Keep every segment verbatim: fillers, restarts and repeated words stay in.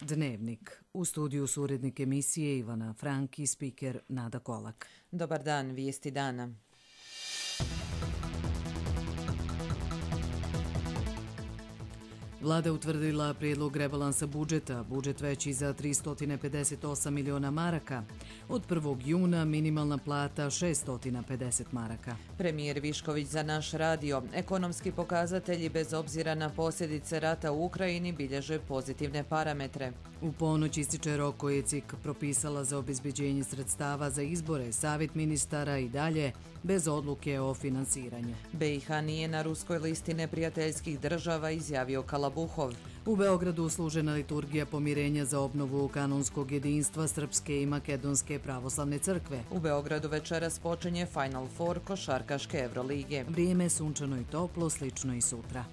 Dnevnik. U studiju su urednik emisije Ivana Frank i spiker Nada Kolak. Dobar dan, vijesti dana. Vlada utvrdila prijedlog rebalansa budžeta, budžet veći za tristo pedeset osam miliona maraka. Od prvog juna minimalna plata šesto pedeset maraka. Premijer Višković za naš radio. Ekonomski pokazatelji bez obzira na posljedice rata u Ukrajini bilježe pozitivne parametre. U ponoć ističe rok koji je C I K propisala za obezbeđenje sredstava za izbore, savjet ministara i dalje, bez odluke o finansiranju. B i H nije na ruskoj listi neprijateljskih država, izjavio Kalabuhov. U Beogradu služena liturgija pomirenja za obnovu kanonskog jedinstva Srpske i Makedonske pravoslavne crkve. U Beogradu večeras počinje Final Four košarkaške Evrolige. Vrijeme je sunčano i toplo, slično i sutra.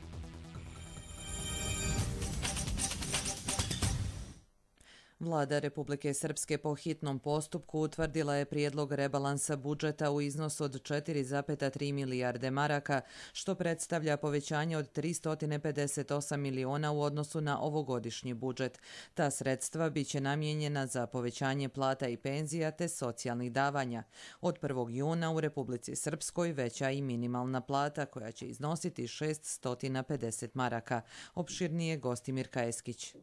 Vlada Republike Srpske po hitnom postupku utvrdila je prijedlog rebalansa budžeta u iznosu od četiri zarez tri milijarde maraka, što predstavlja povećanje od tristo pedeset osam miliona u odnosu na ovogodišnji budžet. Ta sredstva biće namijenjena za povećanje plata i penzija te socijalnih davanja. Od prvog juna u Republici Srpskoj veća i minimalna plata koja će iznositi šesto pedeset maraka. Opširnije Gostimir Kajeskić.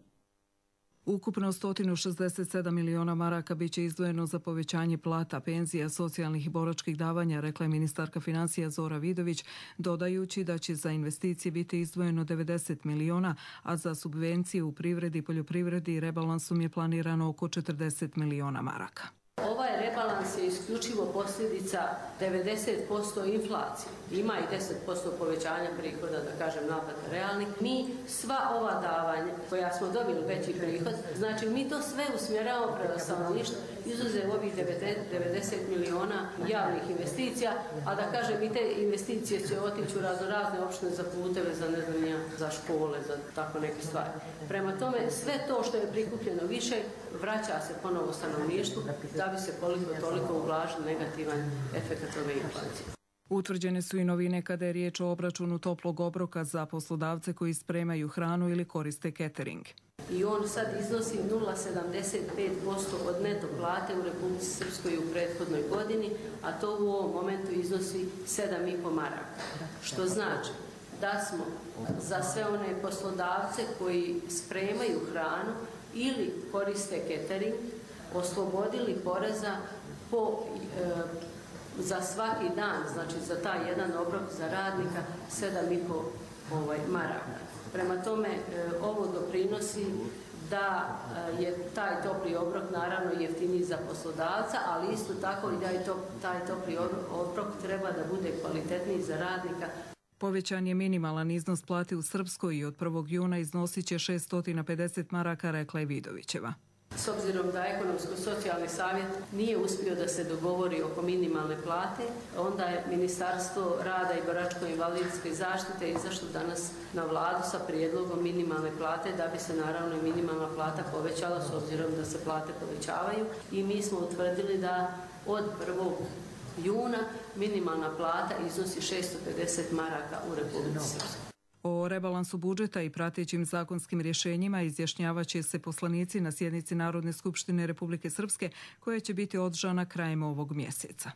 Ukupno sto šezdeset sedam miliona maraka biće izdvojeno za povećanje plata, penzija, socijalnih i boračkih davanja, rekla je ministarka financija Zora Vidović, dodajući da će za investicije biti izdvojeno devedeset miliona, a za subvencije u privredi i poljoprivredi rebalansom je planirano oko četrdeset miliona maraka. Ovaj rebalans je isključivo posljedica devedeset posto inflacije. Ima i deset posto povećanja prihoda, da kažem naplata realnih. Mi sva ova davanja koja smo dobili veći prihod, znači mi to sve usmjeravamo prema stanovništvu, izuzev ovih devedeset miliona javnih investicija, a da kažem i te investicije će otići u razno razne opštine za puteve, za ne znam ja, za škole, za tako neke stvari. Prema tome, sve to što je prikupljeno više vraća se ponovo stanovništvu da bi se koliko toliko ublažio negativan efekt ove inflacije. Utvrđene su i novine kada je riječ o obračunu toplog obroka za poslodavce koji spremaju hranu ili koriste catering. I on sad iznosi nula zarez sedamdeset pet posto od neto plate u Republici Srpskoj u prethodnoj godini, a to u ovom momentu iznosi sedam i po maraka. Što znači da smo za sve one poslodavce koji spremaju hranu ili koriste catering oslobodili poreza po, e, za svaki dan, znači za taj jedan obrok za radnika sedam i po ovaj, maraka. Prema tome, e, ovo doprinosi da e, je taj topli obrok naravno jeftiniji za poslodavca, ali isto tako i da je to, taj topli obrok treba da bude kvalitetniji za radnika. Povećan je minimalan iznos plate u Srpskoj i od prvog juna iznosit će šesto pedeset maraka, rekla je Vidovićeva. S obzirom da Ekonomsko-socijalni savjet nije uspio da se dogovori oko minimalne plate, onda je Ministarstvo rada i boračko-invalidske zaštite izašlo danas na vladu sa prijedlogom minimalne plate da bi se naravno i minimalna plata povećala s obzirom da se plate povećavaju i mi smo utvrdili da od prvog juna minimalna plata iznosi šesto pedeset maraka u Republici Srpskoj. O rebalansu budžeta i pratećim zakonskim rješenjima izjašnjavaće se poslanici na sjednici Narodne skupštine Republike Srpske koja će biti održana krajem ovog mjeseca.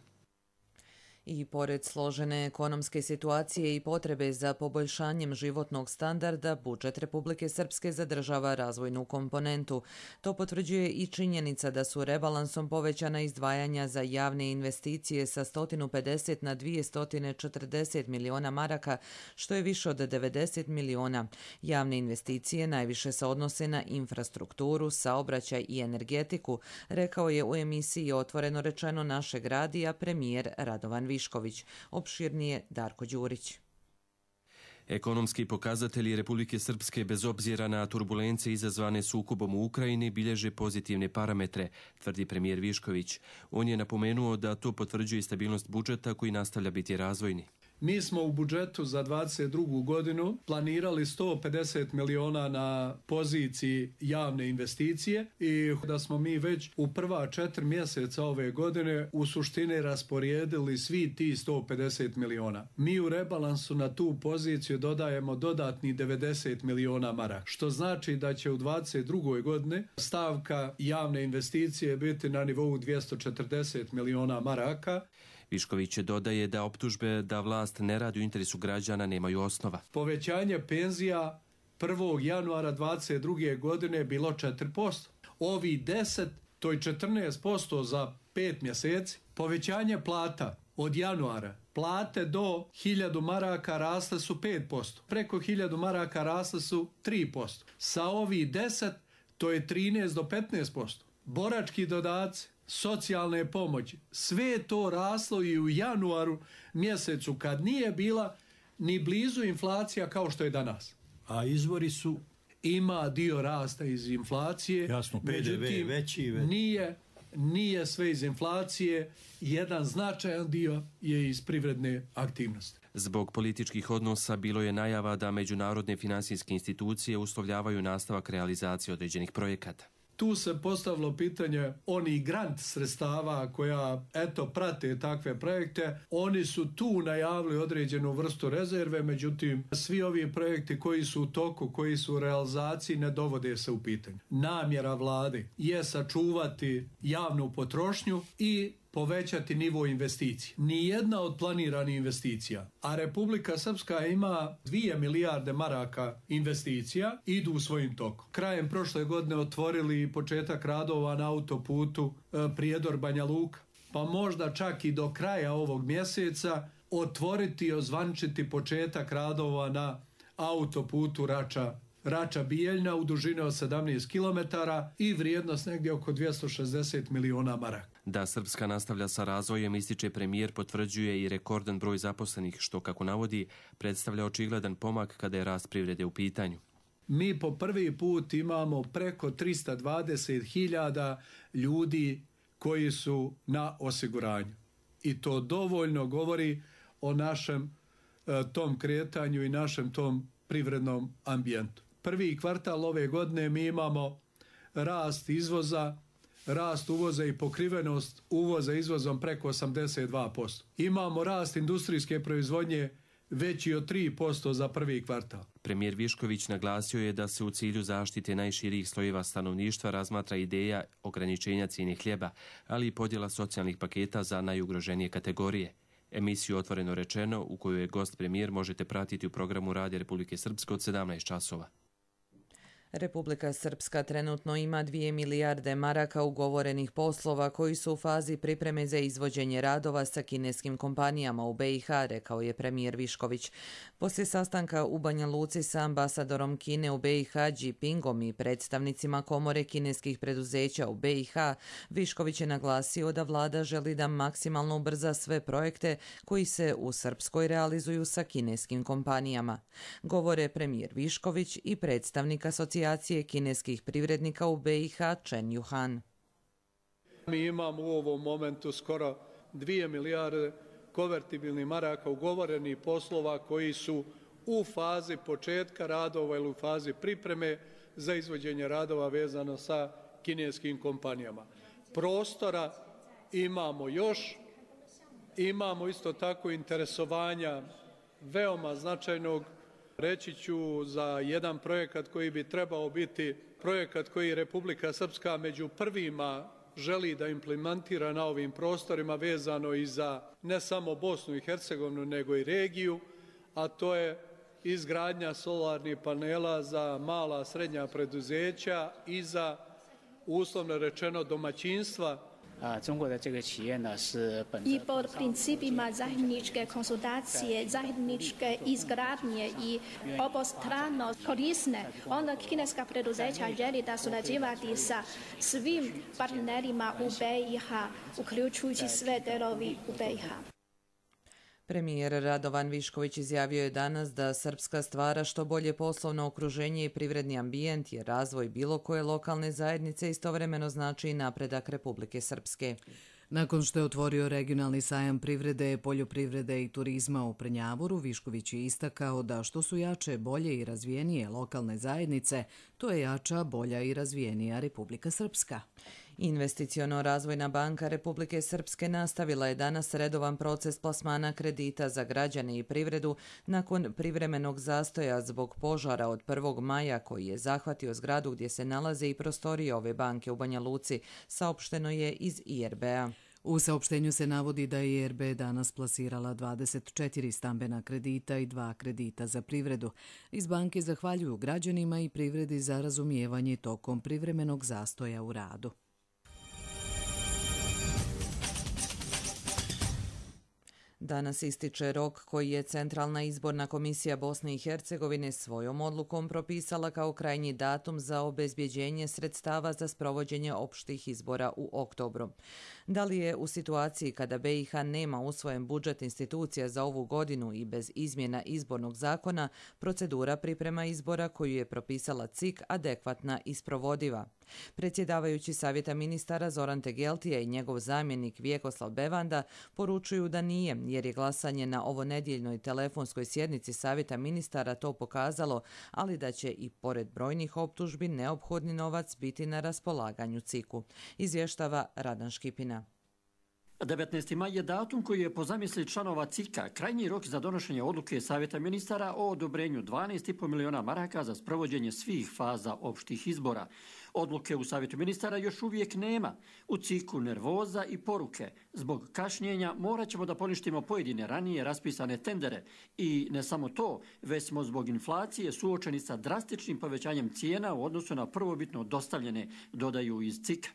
I pored složene ekonomske situacije i potrebe za poboljšanjem životnog standarda, budžet Republike Srpske zadržava razvojnu komponentu. To potvrđuje i činjenica da su rebalansom povećana izdvajanja za javne investicije sa sto pedeset na dvjesto četrdeset miliona maraka, što je više od devedeset miliona. Javne investicije najviše se odnose na infrastrukturu, saobraćaj i energetiku, rekao je u emisiji Otvoreno rečeno našeg radija premijer Radovan Višković. Opširnije Darko Đurić. Ekonomski pokazatelji Republike Srpske bez obzira na turbulencije izazvane sukobom u Ukrajini bilježe pozitivne parametre, tvrdi premijer Višković. On je napomenuo da to potvrđuje stabilnost budžeta koji nastavlja biti razvojni. Mi smo u budžetu za dvadeset drugu godinu planirali sto pedeset miliona na poziciji javne investicije i da smo mi već u prva četiri mjeseca ove godine u suštini rasporedili svi ti sto pedeset miliona. Mi u rebalansu na tu poziciju dodajemo dodatni devedeset miliona maraka, što znači da će u dvadeset drugoj godini stavka javne investicije biti na nivou dvjesto četrdeset miliona maraka. Višković dodaje da optužbe da vlast ne radi u interesu građana nemaju osnova. Povećanje penzija prvog januara dvadeset druge godine je bilo četiri posto. Ovi deset, to je četrnaest posto za pet mjeseci. Povećanje plata od januara, plate do hiljadu maraka rasle su pet posto. Preko hiljadu maraka rasle su tri posto. Sa ovi deset, to je trinaest do petnaest posto. Borački dodaci, socijalne pomoći, sve je to raslo i u januaru mjesecu kad nije bila ni blizu inflacija kao što je danas. A izvori su? Ima dio rasta iz inflacije. Jasno, P D V veći. Već. Nije, nije sve iz inflacije, jedan značajan dio je iz privredne aktivnosti. Zbog političkih odnosa bilo je najava da međunarodne finansijske institucije uslovljavaju nastavak realizacije određenih projekata. Tu se postavilo pitanje onih grant sredstava koja eto prate takve projekte. Oni su tu najavili određenu vrstu rezerve, međutim svi ovi projekti koji su u toku, koji su u realizaciji ne dovode se u pitanje. Namjera vlade je sačuvati javnu potrošnju i povećati nivo investicija. Nijedna od planiranih investicija, a Republika Srpska ima dvije milijarde maraka investicija, idu u svojim tokom. Krajem prošle godine otvorili početak radova na autoputu Prijedor Banja Luka, pa možda čak i do kraja ovog mjeseca otvoriti i ozvančiti početak radova na autoputu Rača Rača Bijeljna u dužini od sedamnaest kilometara i vrijednost negdje oko dvjesto šezdeset miliona maraka. Da Srpska nastavlja sa razvojem, ističe premijer, potvrđuje i rekordan broj zaposlenih, što, kako navodi, predstavlja očigledan pomak kada je rast privrede u pitanju. Mi po prvi put imamo preko trista dvadeset hiljada ljudi koji su na osiguranju. I to dovoljno govori o našem e, tom kretanju i našem tom privrednom ambijentu. Prvi kvartal ove godine mi imamo rast izvoza, rast uvoza i pokrivenost uvoza izvozom preko osamdeset dva posto. Imamo rast industrijske proizvodnje veći od tri posto za prvi kvartal. Premijer Višković naglasio je da se u cilju zaštite najširijih slojeva stanovništva razmatra ideja ograničenja cijene hljeba, ali i podjela socijalnih paketa za najugroženije kategorije. Emisiju Otvoreno rečeno, u kojoj je gost premijer, možete pratiti u programu Radija Republike Srpske od sedamnaest časova. Republika Srpska trenutno ima dvije milijarde maraka ugovorenih poslova koji su u fazi pripreme za izvođenje radova sa kineskim kompanijama u B i H, rekao je premijer Višković. Poslije sastanka u Banja Luci sa ambasadorom Kine u B i H Jinpingom i predstavnicima komore kineskih preduzeća u B i H, Višković je naglasio da vlada želi da maksimalno ubrza sve projekte koji se u Srpskoj realizuju sa kineskim kompanijama. Govore premijer Višković i predstavnik asocijacije kineskih privrednika u B i H Chen Yuhan. Mi imamo u ovom momentu skoro dvije milijarde konvertibilnih maraka ugovorenih poslova koji su u fazi početka radova ili u fazi pripreme za izvođenje radova vezano sa kineskim kompanijama. Prostora imamo još, imamo isto tako interesovanja veoma značajnog. Reći ću za jedan projekat koji bi trebao biti projekat koji Republika Srpska među prvima želi da implementira na ovim prostorima, vezano i za ne samo Bosnu i Hercegovinu nego i regiju, a to je izgradnja solarnih panela za mala srednja preduzeća i za, uslovno rečeno, domaćinstva. I pod principima zajedničke konsultacije, zajedničke izgradnje i obostrano korisne, onda kineska preduzeća želi da surađivati sa svim partnerima u B i H, uključujući sve delovi u B i H. Premijer Radovan Višković izjavio je danas da Srpska stvara što bolje poslovno okruženje i privredni ambijent, jer razvoj bilo koje lokalne zajednice istovremeno znači i napredak Republike Srpske. Nakon što je otvorio regionalni sajam privrede, poljoprivrede i turizma u Prnjavoru, Višković je istakao da što su jače, bolje i razvijenije lokalne zajednice, to je jača, bolja i razvijenija Republika Srpska. Investiciono-razvojna banka Republike Srpske nastavila je danas redovan proces plasmana kredita za građane i privredu nakon privremenog zastoja zbog požara od prvog maja koji je zahvatio zgradu gdje se nalaze i prostorije ove banke u Banja Luci, saopšteno je iz I R B-a. U saopštenju se navodi da je I R B danas plasirala dvadeset četiri stambena kredita i dva kredita za privredu. Iz banke zahvaljuju građanima i privredi za razumijevanje tokom privremenog zastoja u radu. Danas ističe rok koji je Centralna izborna komisija Bosne i Hercegovine svojom odlukom propisala kao krajnji datum za obezbjeđenje sredstava za sprovođenje opštih izbora u oktobru. Da li je u situaciji kada B i H nema usvojen budžet institucija za ovu godinu i bez izmjena izbornog zakona, procedura priprema izbora koju je propisala C I K adekvatna i sprovodiva? Predsjedavajući Savjeta ministara Zoran Tegeltija i njegov zamjenik Vjekoslav Bevanda poručuju da nije, jer je glasanje na ovonedjeljnoj telefonskoj sjednici Savjeta ministara to pokazalo, ali da će i pored brojnih optužbi neophodni novac biti na raspolaganju C I K-u, izvještava Radan Škipina. devetnaesti maj je datum koji je po zamisli članova C I K-a krajnji rok za donošenje odluke Savjeta ministara o odobrenju dvanaest i po miliona maraka za sprovođenje svih faza opštih izbora. Odluke u Savjetu ministara još uvijek nema. U C I K-u nervoza i poruke. Zbog kašnjenja morat ćemo da poništimo pojedine ranije raspisane tendere. I ne samo to, već smo zbog inflacije suočeni sa drastičnim povećanjem cijena u odnosu na prvobitno dostavljene, dodaju iz C I K-a.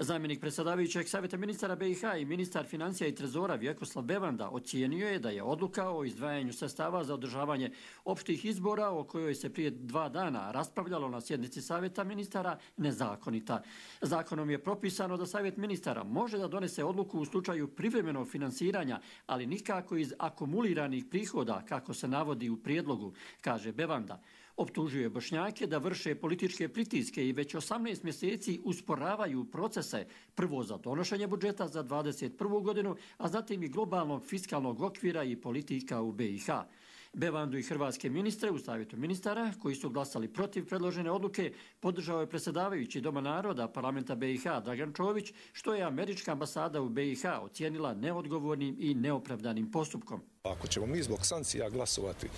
Zamjenik predsjedavajućeg Savjeta ministara B i H i ministar financija i trezora Vjekoslav Bevanda ocijenio je da je odluka o izdvajanju sredstava za održavanje opštih izbora o kojoj se prije dva dana raspravljalo na sjednici Savjeta ministara nezakonita. Zakonom je propisano da Savjet ministara može da donese odluku u slučaju privremenog finansiranja, ali nikako iz akumuliranih prihoda, kako se navodi u prijedlogu, kaže Bevanda. Optužuje Bošnjake da vrše političke pritiske i već osamnaest mjeseci usporavaju procese, prvo za donošenje budžeta za dvadeset prvu godinu, a zatim i globalnog fiskalnog okvira i politika u B i H. Bevandu i hrvatske ministre u Savjetu ministara, koji su glasali protiv predložene odluke, podržao je predsjedavajući Doma naroda parlamenta B i H Dragan Čović, što je američka ambasada u B i H ocijenila neodgovornim i neopravdanim postupkom. Ako ćemo mi zbog sankcija glasovati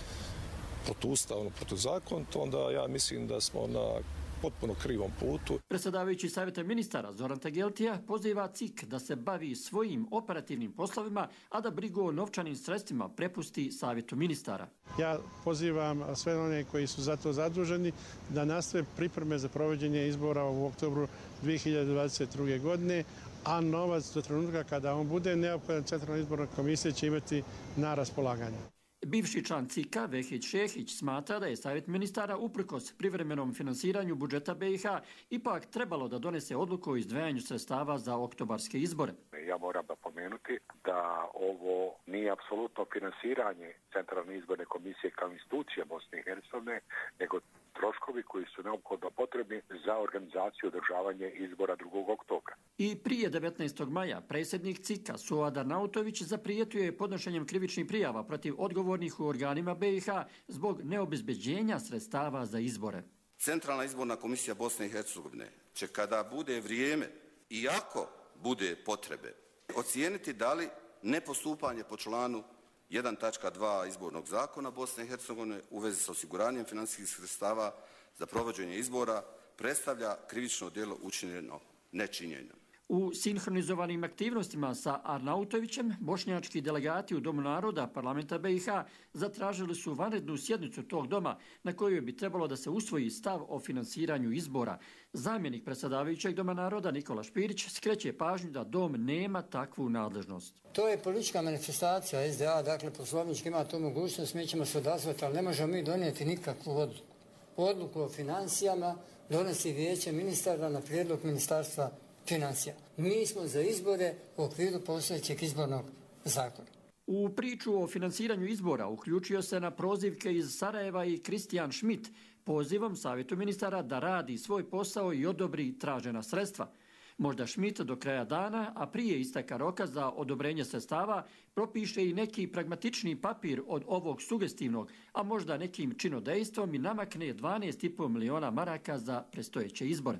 protuustavno, protuzakonito, onda ja mislim da smo na potpuno krivom putu. Predsjedavajući Savjeta ministara Zoran Tegeltija poziva C I K da se bavi svojim operativnim poslovima, a da brigu o novčanim sredstvima prepusti Savjetu ministara. Ja pozivam sve one koji su za to zaduženi da nastave pripreme za provođenje izbora u oktobru dvije hiljade dvadeset druge. godine, a novac do trenutka kada on bude neophodan Centralna izborna komisija će imati na raspolaganju. Bivši član C I K-a Vehić Šehić smatra da je Savjet ministara uprkos privremenom finansiranju budžeta B i H ipak trebalo da donese odluku o izdvajanju sredstava za oktobarske izbore. Ja moram napomenuti da ovo nije apsolutno finansiranje Centralne izborne komisije kao institucija Bosne i Hercegovine, nego troškovi koji su neophodno potrebni za organizaciju i održavanje izbora drugog oktobra. I prije devetnaestog maja predsjednik C I K-a Suad Arnautović zaprijetio je podnošenjem krivičnih prijava protiv odgovornih u organima B i H zbog neobezbeđenja sredstava za izbore. Centralna izborna komisija Bosne i Hercegovine će kada bude vrijeme i ako bude potrebe ocijeniti da li nepostupanje po članu jedan tačka dva izbornog zakona Bosne i Hercegovine u vezi sa osiguranjem financijskih sredstava za provođenje izbora predstavlja krivično djelo učinjeno nečinjenjem. U sinhronizovanim aktivnostima sa Arnautovićem, bošnjački delegati u Domu naroda parlamenta B i H zatražili su vanrednu sjednicu tog doma na kojoj bi trebalo da se usvoji stav o finansiranju izbora. Zamjenik predsjedavajućeg Doma naroda Nikola Špirić skreće pažnju da Dom nema takvu nadležnost. To je politička manifestacija S D A, dakle poslovnički ima tu mogućnost, mi ćemo se odazvati, ali ne možemo mi donijeti nikakvu odluku. Odluku o financijama donosi vijeće ministara na prijedlog ministarstva financija. Mi smo za izbore u okviru postojećeg izbornog zakona. U priču o finansiranju izbora uključio se na prozivke iz Sarajeva i Kristijan Schmidt pozivom Savjetu ministara da radi svoj posao i odobri tražena sredstva. Možda Schmidt do kraja dana, a prije isteka roka za odobrenje sredstava, propiše i neki pragmatični papir od ovog sugestivnog, a možda nekim činodejstvom i namakne dvanaest i pol miliona maraka za predstojeće izbore.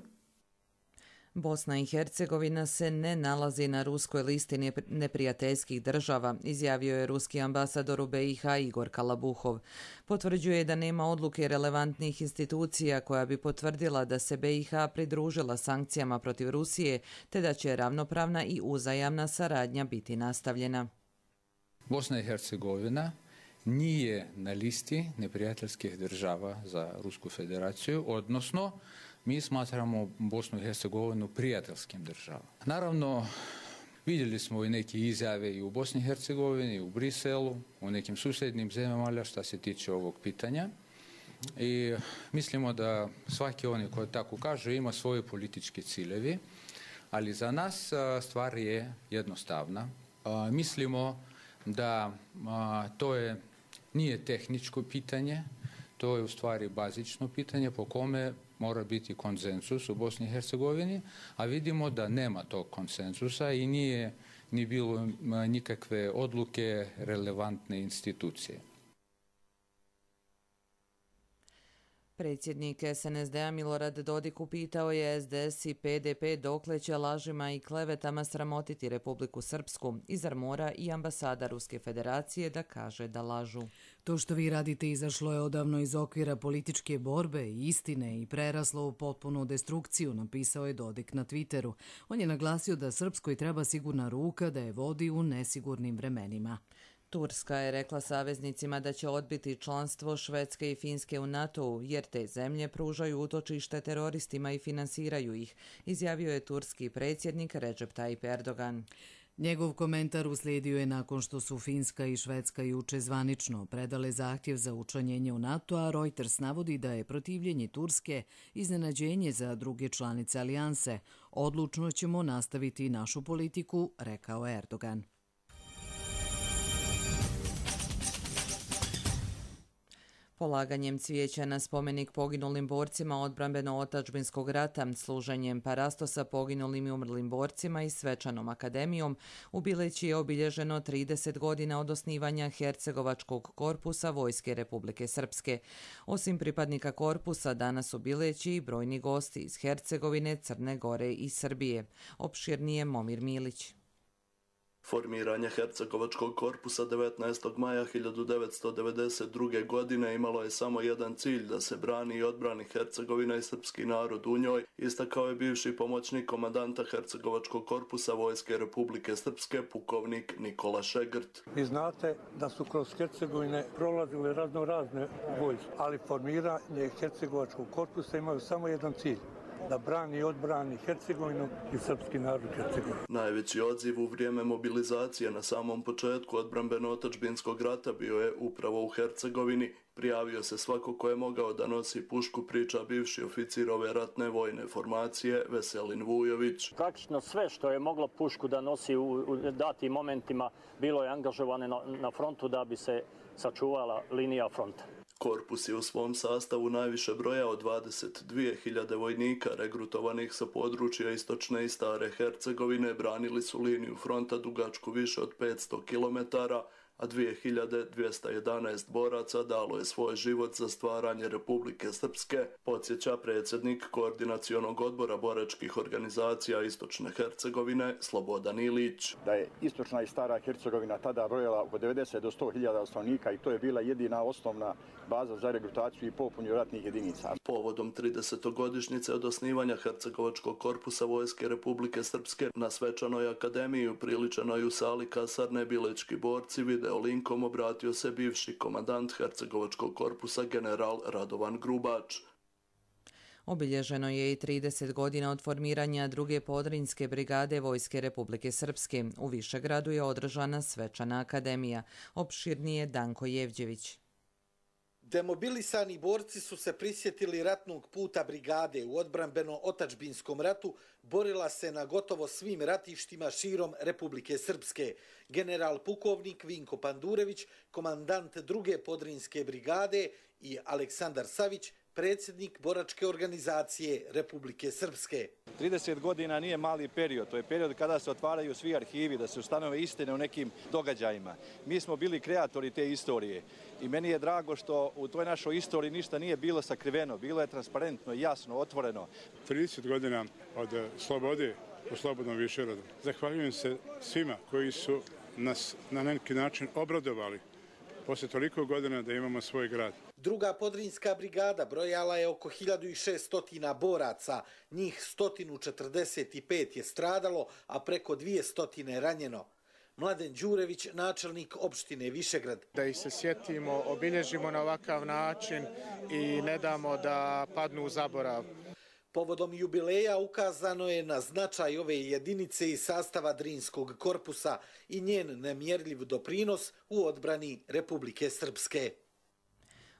Bosna i Hercegovina se ne nalazi na ruskoj listi neprijateljskih država, izjavio je ruski ambasador u B i H Igor Kalabuhov. Potvrđuje da nema odluke relevantnih institucija koja bi potvrdila da se B i H pridružila sankcijama protiv Rusije, te da će ravnopravna i uzajamna saradnja biti nastavljena. Bosna i Hercegovina nije na listi neprijateljskih država za Rusku federaciju, odnosno mi smatramo Bosnu i Hercegovinu prijateljskim državama. Naravno, vidjeli smo i neke izjave i u Bosni i Hercegovini, i u Briselu, u nekim susjednim zemljama što se tiče ovog pitanja. I mislimo da svaki oni koji tako kaže ima svoje političke ciljevi, ali za nas stvar je jednostavna. Mislimo da to je, nije tehničko pitanje, to je u stvari bazično pitanje po kome mora biti konsenzus u Bosni i Hercegovini, a vidimo da nema tog konsenzusa i nije ni bilo nikakve odluke relevantne institucije. Predsjednik S N S D-a Milorad Dodik upitao je S D S i P D P dokle će lažima i klevetama sramotiti Republiku Srpsku i zar mora i ambasada Ruske federacije da kaže da lažu. To što vi radite izašlo je odavno iz okvira političke borbe i istine i preraslo u potpunu destrukciju, napisao je Dodik na Twitteru. On je naglasio da Srpskoj treba sigurna ruka da je vodi u nesigurnim vremenima. Turska je rekla saveznicima da će odbiti članstvo Švedske i Finske u NATO-u, jer te zemlje pružaju utočište teroristima i finansiraju ih, izjavio je turski predsjednik Recep Tayyip Erdogan. Njegov komentar uslijedio je nakon što su Finska i Švedska juče zvanično predale zahtjev za učlanjenje u NATO, a Reuters navodi da je protivljenje Turske iznenađenje za druge članice alijanse. Odlučno ćemo nastaviti našu politiku, rekao je Erdogan. Polaganjem cvijeća na spomenik poginulim borcima odbrambeno-otačbinskog rata, služenjem parastosa poginulim i umrlim borcima i svečanom akademijom, u Bileći je obilježeno trideset godina od osnivanja Hercegovačkog korpusa Vojske Republike Srpske. Osim pripadnika korpusa, danas u Bileći i brojni gosti iz Hercegovine, Crne Gore i Srbije. Opširnije Momir Milić. Formiranje Hercegovačkog korpusa devetnaestog maja hiljadu devetsto devedeset druge. godine imalo je samo jedan cilj, da se brani i odbrani Hercegovina i srpski narod u njoj, istakao je bivši pomoćnik komandanta Hercegovačkog korpusa Vojske Republike Srpske, pukovnik Nikola Šegrt. Vi znate da su kroz Hercegovine prolazile razno razne vojske, ali formiranje Hercegovačkog korpusa imaju samo jedan cilj, da brani i odbrani Hercegovinu i srpski narod Hercegovine. Najveći odziv u vrijeme mobilizacije na samom početku odbrambeno-otačbinskog rata bio je upravo u Hercegovini. Prijavio se svako ko je mogao da nosi pušku, priča bivši oficir ove ratne vojne formacije Veselin Vujović. Praktično sve što je moglo pušku da nosi u datim momentima bilo je angažovane na, na frontu da bi se sačuvala linija fronta. Korpus je u svom sastavu najviše brojao dvadeset dvije hiljade vojnika regrutovanih sa područja istočne i stare Hercegovine, branili su liniju fronta dugačku više od petsto kilometara, a dvije hiljade dvjesto jedanaest boraca dalo je svoj život za stvaranje Republike Srpske, podsjeća predsjednik Koordinacionog odbora boračkih organizacija Istočne Hercegovine Slobodan Ilić. Da je istočna i stara Hercegovina tada brojala oko devedeset do sto hiljada stanovnika i to je bila jedina osnovna baza za regrutaciju i popunju ratnih jedinica. Povodom tridesetogodišnjice od osnivanja Hercegovačkog korpusa Vojske Republike Srpske na svečanoj akademiji upriličenoj u sali kasarne Bilečki borci video linkom obratio se bivši komandant Hercegovačkog korpusa general Radovan Grubač. Obilježeno je i trideset godina od formiranja druge podrinjske brigade Vojske Republike Srpske. U Višegradu je održana svečana akademija. Opširnije Danko Jevđević. Demobilisani borci su se prisjetili ratnog puta brigade u odbrambeno-otačbinskom ratu, borila se na gotovo svim ratištima širom Republike Srpske. General pukovnik Vinko Pandurević, komandant druge podrinjske brigade i Aleksandar Savić, predsjednik boračke organizacije Republike Srpske. trideset godina nije mali period, to je period kada se otvaraju svi arhivi, da se ustanove istine o nekim događajima. Mi smo bili kreatori te istorije i meni je drago što u toj našoj istoriji ništa nije bilo sakriveno, bilo je transparentno, jasno, otvoreno. trideset godina od slobode u Slobodnom Višegradu. Zahvaljujem se svima koji su nas na neki način obradovali poslije toliko godina da imamo svoj grad. Druga podrinjska brigada brojala je oko hiljadu šesto boraca, njih sto četrdeset pet je stradalo, a preko dvjesto ranjeno. Mladen Đurević, načelnik opštine Višegrad. Da ih se sjetimo, obilježimo na ovakav način i ne damo da padnu u zaborav. Povodom jubileja ukazano je na značaj ove jedinice iz sastava Drinskog korpusa i njen nemjerljiv doprinos u odbrani Republike Srpske.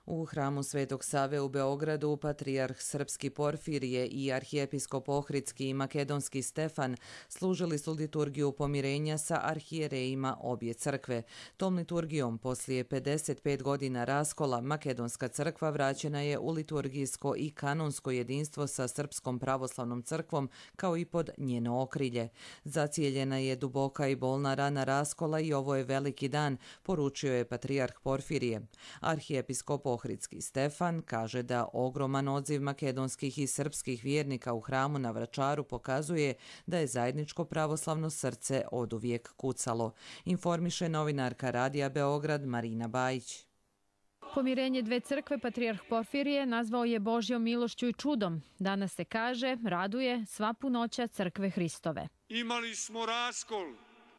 U hramu Svetog Save u Beogradu patrijarh srpski Porfirije i arhijepiskop ohridski i makedonski Stefan služili su liturgiju pomirenja sa arhijerejima obje crkve. Tom liturgijom poslije pedeset pet godina raskola makedonska crkva vraćena je u liturgijsko i kanonsko jedinstvo sa Srpskom pravoslavnom crkvom kao i pod njeno okrilje. Zacijeljena je duboka i bolna rana raskola i ovo je veliki dan, poručio je patrijarh Porfirije. Arhijepiskop ohridski Stefan kaže da ogroman odziv makedonskih i srpskih vjernika u hramu na Vračaru pokazuje da je zajedničko pravoslavno srce oduvijek kucalo. Informiše novinarka Radija Beograd Marina Bajić. Pomirenje dve crkve patrijarh Porfirije nazvao je Božjom milošću i čudom. Danas se kaže, raduje sva punoća crkve Hristove. Imali smo raskol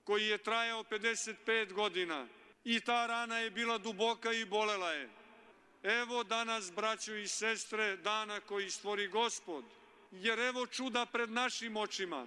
koji je trajao pedeset pet godina i ta rana je bila duboka i bolela je. Evo danas, braćo i sestre, dana koji stvori Gospod, jer evo čuda pred našim očima.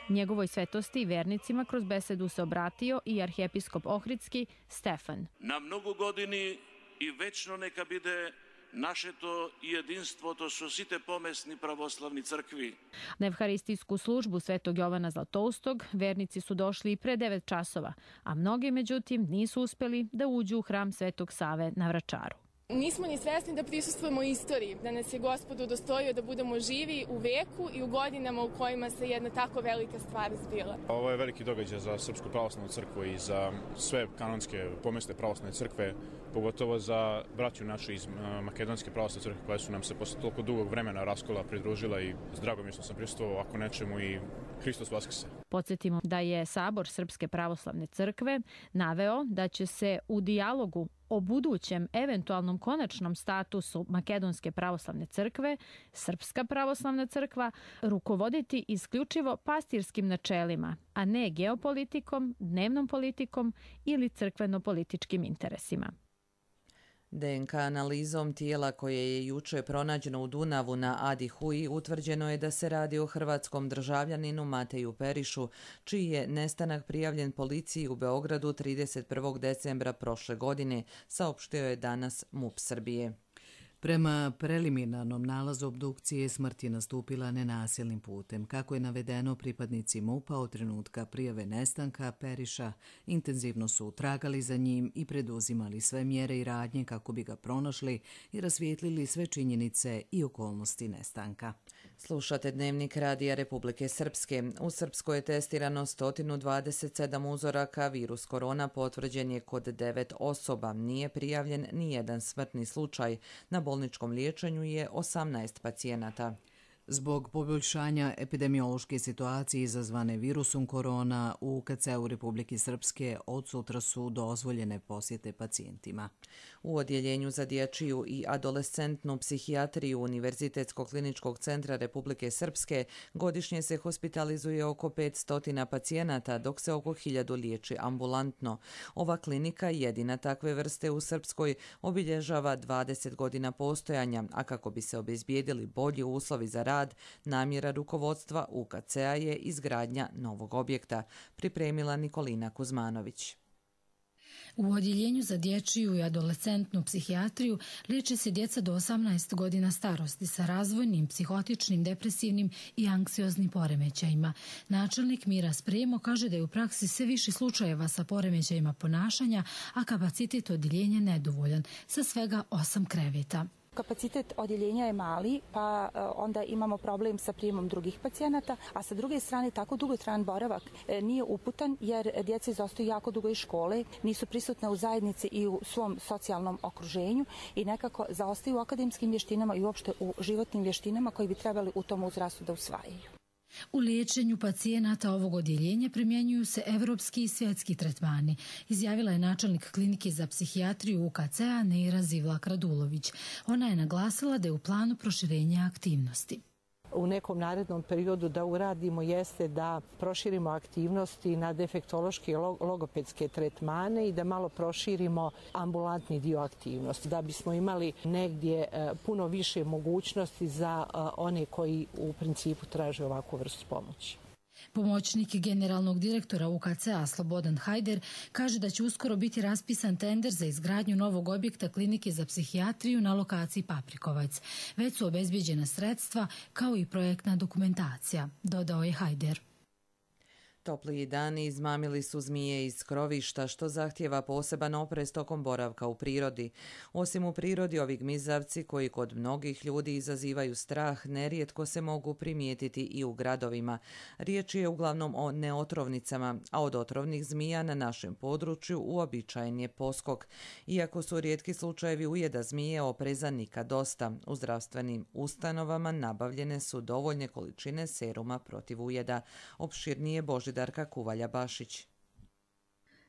Njegovoj svetosti i vernicima kroz besedu se obratio i arhijepiskop ohridski Stefan. Na mnogo godini i večno neka bide naše to jedinstvo, to su site pomesni pravoslavni crkvi. Na evharistijsku službu Svetog Jovana Zlatoustog vernici su došli i pre devet časova, a mnogi međutim nisu uspeli da uđu u hram Svetog Save na Vračaru. Nismo ni svesni da prisustvujemo istoriji, da nas je Gospod udostojio da budemo živi u veku i u godinama u kojima se jedna tako velika stvar zbila. Ovo je veliki događaj za Srpsku pravoslavnu crkvu i za sve kanonske pomesne pravoslavne crkve, pogotovo za braću našu iz Makedonske pravoslavne crkve koje su nam se posle toliko dugog vremena raskola pridružila i s dragom je što sam prisustvovao ako nečemu i Hristos vaskrse. Podsjetimo da je Sabor Srpske pravoslavne crkve naveo da će se u dijalogu o budućem eventualnom konačnom statusu Makedonske pravoslavne crkve, Srpska pravoslavna crkva, rukovoditi isključivo pastirskim načelima, a ne geopolitikom, dnevnom politikom ili crkveno-političkim interesima. D N K analizom tijela koje je juče pronađeno u Dunavu na Adi Huji utvrđeno je da se radi o hrvatskom državljaninu Mateju Perišu, čiji je nestanak prijavljen policiji u Beogradu trideset prvog decembra prošle godine, saopštio je danas MUP Srbije. Prema preliminarnom nalazu obdukcije smrt je nastupila nenasilnim putem. Kako je navedeno, pripadnici MUP-a od trenutka prijave nestanka Periša intenzivno su tragali za njim i preduzimali sve mjere i radnje kako bi ga pronašli i rasvijetlili sve činjenice i okolnosti nestanka. Slušate Dnevnik Radija Republike Srpske. U Srpskoj je testirano sto dvadeset sedam uzoraka, virus korona potvrđen je kod devet osoba. Nije prijavljen ni jedan smrtni slučaj. Na bolničkom liječenju je osamnaest pacijenata. Zbog poboljšanja epidemiološke situacije izazvane virusom korona u U K C-u Republike Srpske od sutra su dozvoljene posjete pacijentima. U odjeljenju za dječju i adolescentnu psihijatriju Univerzitetskog kliničkog centra Republike Srpske godišnje se hospitalizuje oko petsto pacijenata, dok se oko hiljadu liječi ambulantno. Ova klinika, jedina takve vrste u Srpskoj, obilježava dvadeset godina postojanja, a kako bi se obezbijedili bolji uslovi za rad, namjera rukovodstva U K C-a je izgradnja novog objekta, pripremila Nikolina Kuzmanović. U odjeljenju za dječju i adolescentnu psihijatriju liječe se djeca do osamnaest godina starosti sa razvojnim, psihotičnim, depresivnim i anksioznim poremećajima. Načelnik Mira Spremo kaže da je u praksi sve više slučajeva sa poremećajima ponašanja, a kapacitet odjeljenja nedovoljan, sa svega osam kreveta. Kapacitet odjeljenja je mali, pa onda imamo problem sa prijemom drugih pacijenata, a sa druge strane tako dugotrajan boravak nije uputan jer djeca izostaju jako dugo iz škole, nisu prisutne u zajednici i u svom socijalnom okruženju i nekako zaostaju u akademskim vještinama i uopšte u životnim vještinama koji bi trebali u tom uzrastu da usvajaju. U liječenju pacijenata ovog odjeljenja primjenjuju se evropski i svjetski tretmani, izjavila je načelnik klinike za psihijatriju U K C-a Neira Zivlak-Radulović. Ona je naglasila da je u planu proširenja aktivnosti. U nekom narednom periodu da uradimo jeste da proširimo aktivnosti na defektološke i logopedske tretmane i da malo proširimo ambulantni dio aktivnosti, da bismo imali negdje puno više mogućnosti za one koji u principu traže ovakvu vrstu pomoći. Pomoćnik generalnog direktora U K C-a Slobodan Hajder kaže da će uskoro biti raspisan tender za izgradnju novog objekta klinike za psihijatriju na lokaciji Paprikovac. Već su obezbijeđena sredstva kao i projektna dokumentacija, dodao je Hajder. Topliji dani izmamili su zmije iz skrovišta, što zahtijeva poseban oprez tokom boravka u prirodi. Osim u prirodi, ovi gmizavci koji kod mnogih ljudi izazivaju strah, nerijetko se mogu primijetiti i u gradovima. Riječ je uglavnom o neotrovnicama, a od otrovnih zmija na našem području uobičajen je poskok. Iako su rijetki slučajevi ujeda zmije, opreza nikad dosta. U zdravstvenim ustanovama nabavljene su dovoljne količine seruma protiv ujeda. Opširnije Božidar Kuvalja-Bašić.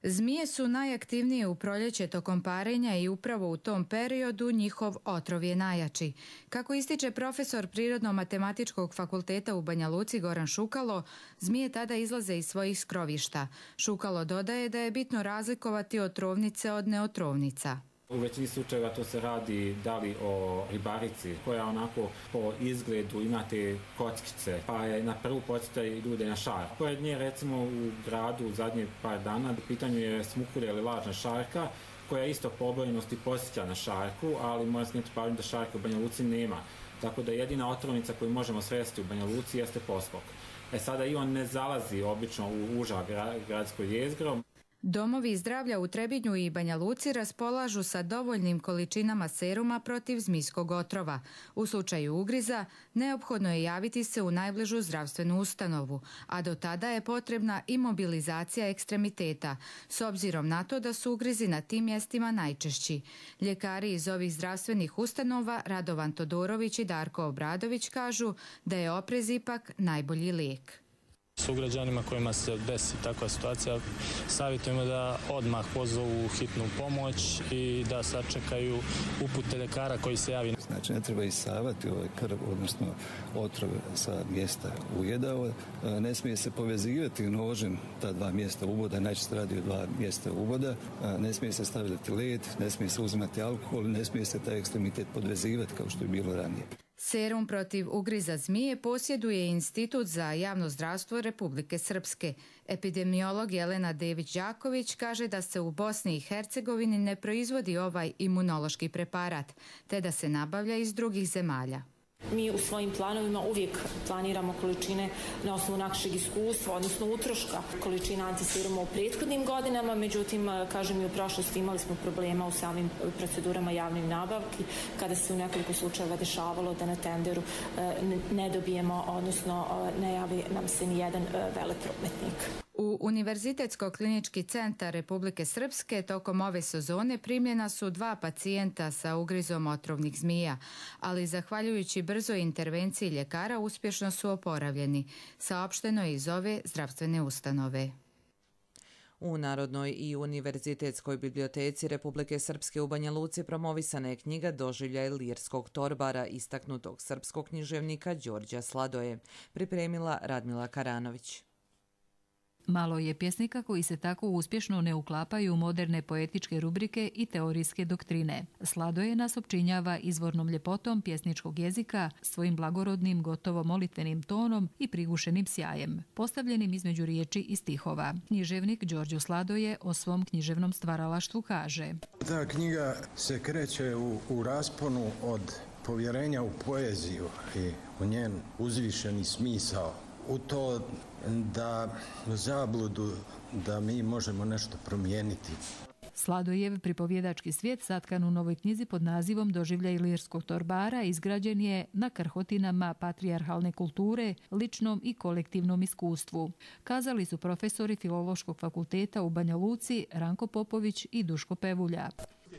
Zmije su najaktivnije u proljeće tokom parenja i upravo u tom periodu njihov otrov je najjači. Kako ističe profesor Prirodno-matematičkog fakulteta u Banja Luci Goran Šukalo, zmije tada izlaze iz svojih skrovišta. Šukalo dodaje da je bitno razlikovati otrovnice od neotrovnica. U većini slučajeva to se radi da li o ribarici koja onako po izgledu imate kockice, pa je na prvu podsjeta i ljude na šar. Pored nje recimo u gradu u zadnje par dana u pitanju je smukurja ili lažna šarka koja isto po obojenosti podsjeća na šarku, ali mora skrenuti pažnju da šarke u Banja Luci nema. Tako da jedina otrovnica koju možemo sresti u Banja Luci jeste poskok. E sada i on ne zalazi obično u uža gradsko jezgro. Domovi zdravlja u Trebinju i Banja Luci raspolažu sa dovoljnim količinama seruma protiv zmijskog otrova. U slučaju ugriza neophodno je javiti se u najbližu zdravstvenu ustanovu, a do tada je potrebna imobilizacija ekstremiteta, s obzirom na to da su ugrizi na tim mjestima najčešći. Ljekari iz ovih zdravstvenih ustanova Radovan Todorović i Darko Obradović kažu da je oprez ipak najbolji lijek. Sugrađanima kojima se desi takva situacija savjetujemo da odmah pozovu hitnu pomoć i da sačekaju upute ljekara koji se javi. Znači ne treba isavati ovaj krv, odnosno otrov sa mjesta ujeda. Ne smije se povezivati nožem ta dva mjesta uboda, najčešće radi o dva mjesta uboda. Ne smije se stavljati led, ne smije se uzimati alkohol, ne smije se taj ekstremitet podvezivati kao što je bilo ranije. Serum protiv ugriza zmije posjeduje Institut za javno zdravstvo Republike Srpske. Epidemiolog Jelena Dević-Đaković kaže da se u Bosni i Hercegovini ne proizvodi ovaj imunološki preparat, te da se nabavlja iz drugih zemalja. Mi u svojim planovima uvijek planiramo količine na osnovu našeg iskustva, odnosno utroška količina antiseruma u prethodnim godinama, međutim, kažem i u prošlosti imali smo problema u samim procedurama javnih nabavki, kada se u nekoliko slučajeva dešavalo da na tenderu ne dobijemo, odnosno ne javi nam se ni jedan veleprometnik. U Univerzitetsko-klinički centar Republike Srpske tokom ove sezone primljena su dva pacijenta sa ugrizom otrovnih zmija, ali zahvaljujući brzoj intervenciji ljekara uspješno su oporavljeni, saopšteno je iz ove zdravstvene ustanove. U Narodnoj i Univerzitetskoj biblioteci Republike Srpske u Banja Luci promovisana je knjiga Doživljaj lirskog torbara istaknutog srpskog književnika Đorđa Sladoje, pripremila Radmila Karanović. Malo je pjesnika koji se tako uspješno ne uklapaju u moderne poetičke rubrike i teorijske doktrine. Sladoje nas opčinjava izvornom ljepotom pjesničkog jezika, svojim blagorodnim, gotovo molitvenim tonom i prigušenim sjajem, postavljenim između riječi i stihova. Književnik Đorđo Sladoje o svom književnom stvaralaštvu kaže: Ta knjiga se kreće u, u rasponu od povjerenja u poeziju i u njen uzvišeni smisao, u to da zabludu da mi možemo nešto promijeniti. Sladojev pripovjedački svijet satkan u novoj knjizi pod nazivom Doživljaj lirskog torbara izgrađen je na krhotinama patrijarhalne kulture, ličnom i kolektivnom iskustvu. Kazali su profesori Filološkog fakulteta u Banja Luci Ranko Popović i Duško Pevulja.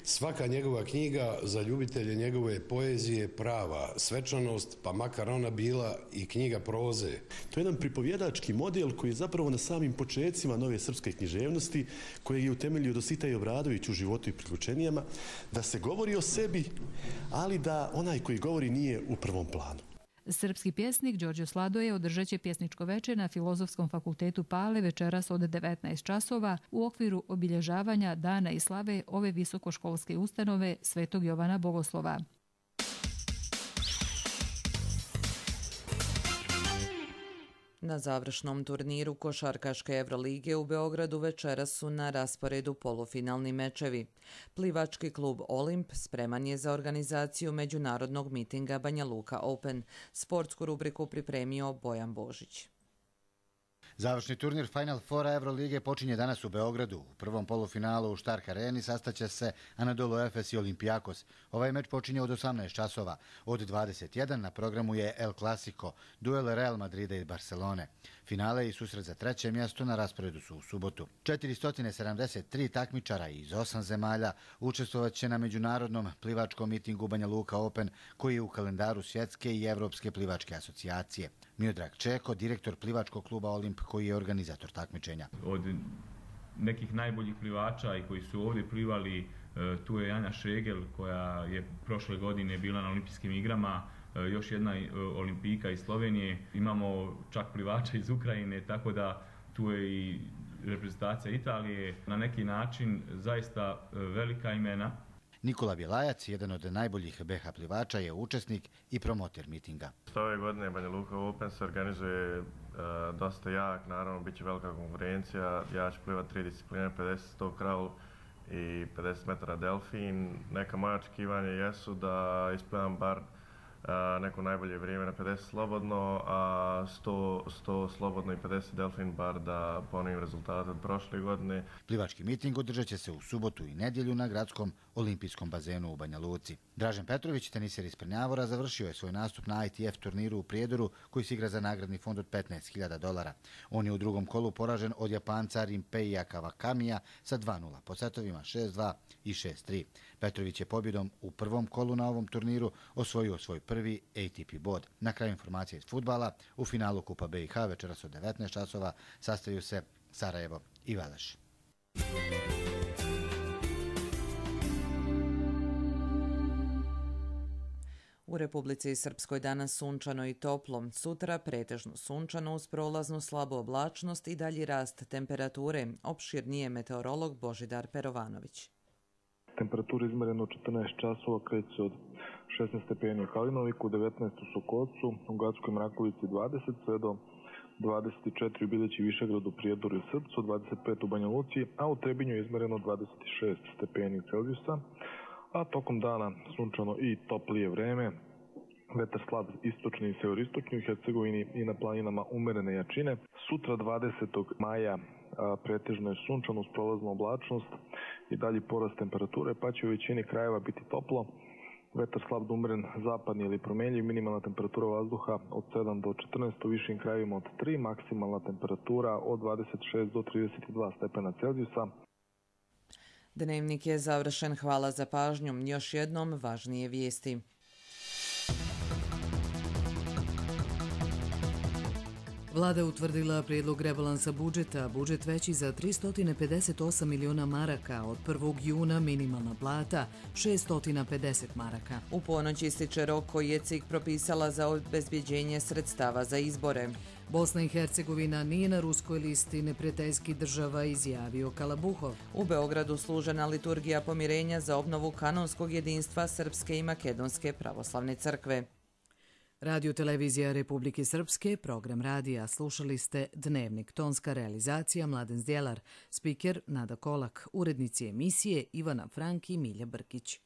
Svaka njegova knjiga za ljubitelje njegove poezije prava svečanost, pa makar ona bila i knjiga proze. To je jedan pripovjedački model koji je zapravo na samim počecima nove srpske književnosti, kojeg je utemeljio Dositej Obradović u Životu i priključenijama, da se govori o sebi, ali da onaj koji govori nije u prvom planu. Srpski pjesnik Đorđo Sladoje održat će pjesničko veče na Filozofskom fakultetu Pale večeras od devetnaest časova u okviru obilježavanja Dana i slave ove visokoškolske ustanove Svetog Jovana Bogoslova. Na završnom turniru košarkaške Evrolige u Beogradu večeras su na rasporedu polufinalni mečevi. Plivački klub Olimp spreman je za organizaciju međunarodnog mitinga Banja Luka Open. Sportsku rubriku pripremio Bojan Božić. Završni turnir Final Fora Evrolige počinje danas u Beogradu. U prvom polufinalu u Stark Areni sastaće se Anadolu Efes i Olympiakos. Ovaj meč počinje od osamnaest časova. Od dvadeset jedan na programu je El Clasico, duel Real Madrida i Barcelone. Finale i susret za treće mjesto na rasporedu su u subotu. četiristo sedamdeset tri takmičara iz osam zemalja učestvovat će na međunarodnom plivačkom mitingu Banja Luka Open, koji je u kalendaru Svjetske i Evropske plivačke asocijacije. Miodrag Čeko, direktor plivačkog kluba Olimp, koji je organizator takmičenja. Od nekih najboljih plivača i koji su ovdje plivali, tu je Anja Šegel, koja je prošle godine bila na olimpijskim igrama, još jedna olimpijka iz Slovenije, imamo čak plivača iz Ukrajine, tako da tu je i reprezentacija Italije. Na neki način zaista velika imena. Nikola Bjelajac, jedan od najboljih be ha plivača, je učesnik i promoter mitinga. Ove godine Banja Luka Open se organizuje uh, dosta jak, naravno bit će velika konkurencija. Ja ću plivati tri discipline, pedeset sto kraul i pedeset metara delfin. Neka moja očekivanja jesu da isplivam bar Uh, neko najbolje vrijeme na pedeset slobodno, a sto, sto slobodno i pedeset delfin bar da ponovim rezultate od prošle godine. Plivački miting održat će se u subotu i nedjelju na gradskom olimpijskom bazenu u Banja Luci. Dražen Petrović, teniser iz Prnjavora, završio je svoj nastup na i te ef turniru u Prijedoru, koji se igra za nagradni fond od petnaest hiljada dolara. On je u drugom kolu poražen od Japanca Rimpeija Kawakamija sa dva nula po setovima šest dva i šest tri. Petrović je pobjedom u prvom kolu na ovom turniru osvojio svoj prvi a te pe bod. Na kraju informacije iz fudbala, u finalu Kupa be i ha večeras od devetnaest časova sastaju se Sarajevo i Veleš. U Republici Srpskoj danas sunčano i toplo, sutra pretežno sunčano uz prolaznu slabu oblačnost i dalji rast temperature, opširnije meteorolog Božidar Perovanović. Temperatura izmerena u četrnaest časova kreće od šesnaest stepeni u Kalinoviku, devetnaest u Sokocu, u Gatskoj Mrakovici dvadeset, sve do dvadeset četiri u Bileći Višegradu, Prijedoru i Srpcu, dvadeset pet u Banja Luci, a u Trebinju je izmereno dvadeset šest stepeni Celzijusa, a tokom dana sunčano i toplije vreme, vetar slab istočni i severoistočni u Hercegovini i na planinama umerene jačine. Sutra dvadesetog maja a, pretežno je sunčano uz prolaznu oblačnost i dalji porast temperature, pa će u većini krajeva biti toplo. Vetar slab do umeren zapadni ili promenljiv, minimalna temperatura vazduha od sedam do četrnaest, u višim krajevima od tri, maksimalna temperatura od dvadeset šest do trideset dva stepena Celzijusa. Dnevnik je završen, hvala za pažnju. Još jednom važnije vijesti. Vlada utvrdila prijedlog rebalansa budžeta, budžet veći za tristo pedeset osam miliona maraka, od prvog juna minimalna plata šeststo pedeset maraka. U ponoć ističe rok koji je C I K propisala za obezbjeđenje sredstava za izbore. Bosna i Hercegovina nije na ruskoj listi neprijateljskih država, izjavio Kalabuhov. U Beogradu služena liturgija pomirenja za obnovu kanonskog jedinstva Srpske i Makedonske pravoslavne crkve. Radio televizija Republike Srpske, program radija. Slušali ste Dnevnik, tonska realizacija Mladen Zdjelar, spiker Nada Kolak, urednici emisije Ivana Frank i Milja Brkić.